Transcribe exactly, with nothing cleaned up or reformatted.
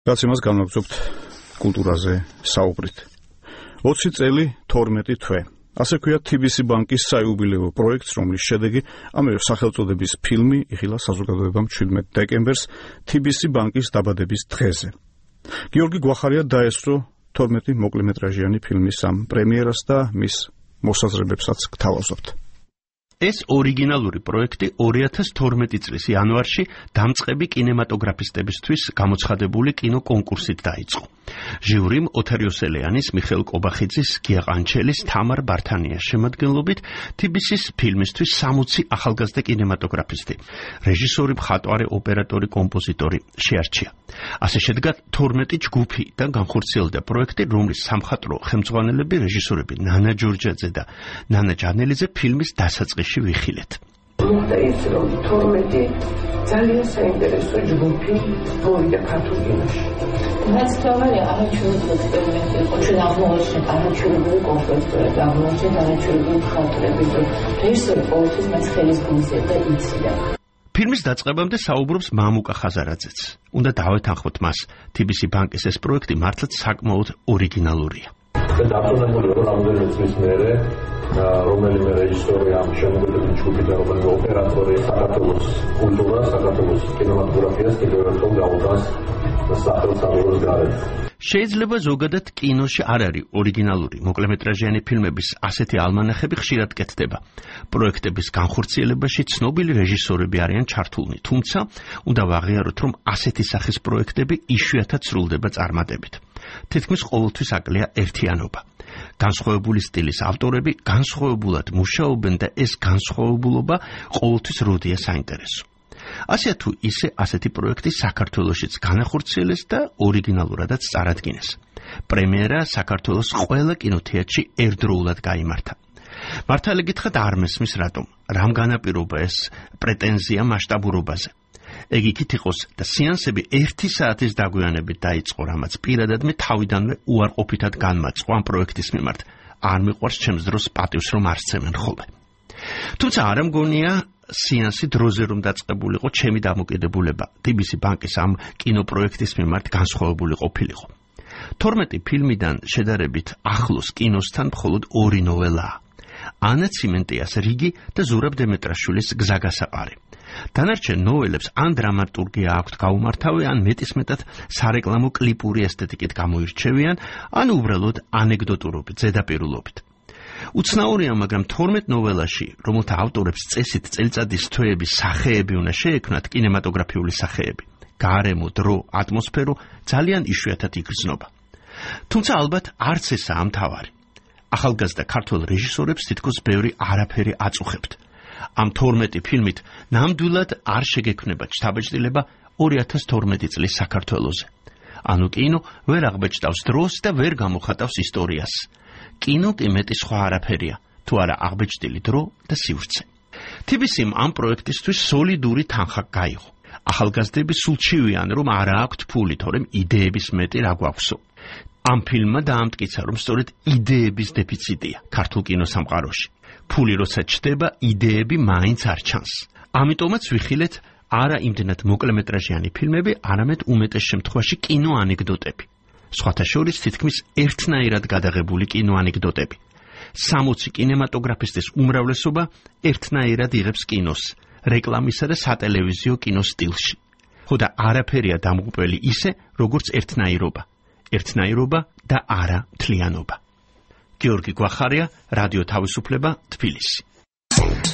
რაც იმას განვაგრძობთ კულტურაზე საუბრით. ოცი წელი თორმეტი თვე. ასე ქვია T B C ბანკის საიუბილეო პროექტს, რომლის შედეგი ამავე სახელწოდების ფილმი იხილა საზოგადოებამ ჩვიდმეტ დეკემბერს T B C ბანკის დაბადების დღეზე. გიორგი გვახარია დაესწრო თორმეტი მოკლემეტრაჟიანი ფილმის ამ პრემიერას და მის მოსაზრებებსაც გთავაზობთ. ეს ორიგინალური პროექტი ორი ათას თორმეტი წლის იანვარში დამწყები კინემატოგრაფისტებისთვის გამოცხადებული კინოკონკურსით დაიწყო. ჟიურიმ ოთარ იოსელიანის, მიხეილ კობახიძის, გია ყანჩელის, თამარ ბართანიას შემადგენლობით T B C-ის ფილმისთვის სამოცი ახალგაზრდა კინემატოგრაფისტი, რეჟისორი, მხატვარი, ოპერატორი, კომპოზიტორი შეარჩია. ასე შედგა თორმეტი ჯგუფი და განხორციელდა პროექტი, რომლის სამხატვრო ხელმძღვანელები რეჟისორები ნანა ჯორჯაძე და ნანა ჯანელიძე ფილმის დასაწყისში ვიხილეთ. მოხდა ის, რომ თორმეტი ძალიან საინტერესო ჯგუფი მოვიდა ქართულ კინოში. რაც თავარია არაჩვეულებრივი ექსპერიმენტი იყო, ჩვენ აღმოაჩინეთ არაჩვეულებრივი კომპოზიტორები, აღმოაჩინეთ არაჩვეულებრივი მხატვრები, რეჟისორი ყოველთვის მას ხელის გულზე და იცოდა. ფილმის დაწყებამდე საუბრობს მამუკა ხაზარაძეც. უნდა დავეთანხმოთ მას, T B C ბანკის ეს პროექტი მართლაც საკმაოდ ორიგინალურია. და დაწუნებული იყო რამდენიმე წლის მერე, რომელიმე რეჟისორი ამ შემოგვიდების ჯგუფი და რომელიმე ოპერატორი საქართველოს კულტურას, საქართველოს კინემატოგრაფიას კიდევ ერთხელ გაუდგას სახელმწიფოს გარეთ. შეიძლება ზოგადად კინოში არ არის ორიგინალური მოკლემეტრაჟიანი ფილმების ასეთი ალმანახები ხშირად კეთდება. პროექტების განხორციელებაში ცნობილი რეჟისორები არიან ჩართულნი, თუმცა უნდა ვაღიაროთ, რომ ასეთი სახის პროექტები იშვიათად სრულდება წარმატებით. თითქმის ყოველთვის აკლია ერთიანობა. განსხვავებული სტილის ავტორები განსხვავებულად მუშაობენ და ეს განსხვავებულობა ყოველთვის როდია საინტერესო. ასე თუ ისე ასეთი პროექტი საქართველოშიც განახორციელეს და ორიგინალურადაც წარადგინეს. პრემიერა საქართველოს ყველა კინოთეატრში ერთდროულად გაიმართა. მართალი გითხრათ არ მესმის რატომ, რამ განაპირობა ეს პრეტენზია მასშტაბურობაზე. ეგ იქით იყოს და სეანსები ერთი საათის დაგვიანებით დაიწყო, რამაც პირადად მე თავიდანვე უარყოფითად განმაწყო ამ პროექტის მიმართ. არ მიყვარს ჩემს დროს პატივს რომ არ სცემენ ხოლმე. თუმცა არ მგონია სეანსი დროზე რომ დაწყებულიყო ჩემი დამოკიდებულება T B C ბანკის ამ კინოპროექტის მიმართ განსხვავებული ყოფილიყო. თორმეტი ფილმიდან შედარებით ახლოს კინოსთან მხოლოდ ორი ნოველაა. ანა ციმენტიას რიგი და ზურაბ დემეტრაშვილის გზაგასაყარი. დანარჩენ ნოველებს ან დრამატურგია აქვთ გაუმართავი, ან მეტისმეტად სარეკლამო კლიპური ესთეტიკით გამოირჩევიან, ან უბრალოდ ანეკდოტურობით, ზედაპირულობით. უცნაურია, მაგრამ თორმეტ ნოველაში, რომელთა ავტორებს წესით წელიწადის თვეების სახეები უნდა შეექმნათ, კინემატოგრაფიული სახეები, გარემო, დრო, ატმოსფერო ძალიან იშვიათად იგრძნობა. თუმცა ალბათ არც ესაა მთავარი. ახალგაზრდა ქართველ რეჟისორებს თითქოს ბევრი არაფერი აწუხებთ. ამ თორმეტი ფილმით ნამდვილად არ შეგექმნება შთაბეჭდილება ორი ათას თორმეტი წლის საქართველოზე. ანუ კინო ვერ აღბეჭდავს დროს და ვერ გამოხატავს ისტორიას. კინო კი მეტი სხვა არაფერია, თუ არა აღბეჭდილი დრო და სივრცე. T B C-მ ამ პროექტისთვის სოლიდური თანხა გაიღო. ახალგაზრდები სულ ჩივიან, რომ არა აქვთ ფული, თორემ იდეების მეტი რა გვაქვსო. ამ ფილმმა დაამტკიცა, რომ სწორედ იდეების დეფიციტია ქართულ კინოსამყაროში. ფული როცა ჩდება, იდეები მაინც არ ჩანს. ამიტომაც ვიხილეთ არა იმდენად მოკლემეტრაჟიანი ფილმები, არამედ უმეტეს შემთხვევაში კინოანეკდოტები. სხვათა შორის თითქმის ერთნაირად გადაღებული კინოანეკდოტები. სამოცი კინემატოგრაფისტის უმრავლესობა ერთნაირად იღებს კინოს, რეკლამისა და სატელევიზიო კინოს სტილში. ხო და არაფერია დამღუპელი ისე, როგორც ერთნაირობა. ერთნაირობა და არა მთლიანობა. გიორგი გვახარია, რადიო თავისუფლება, თბილისი.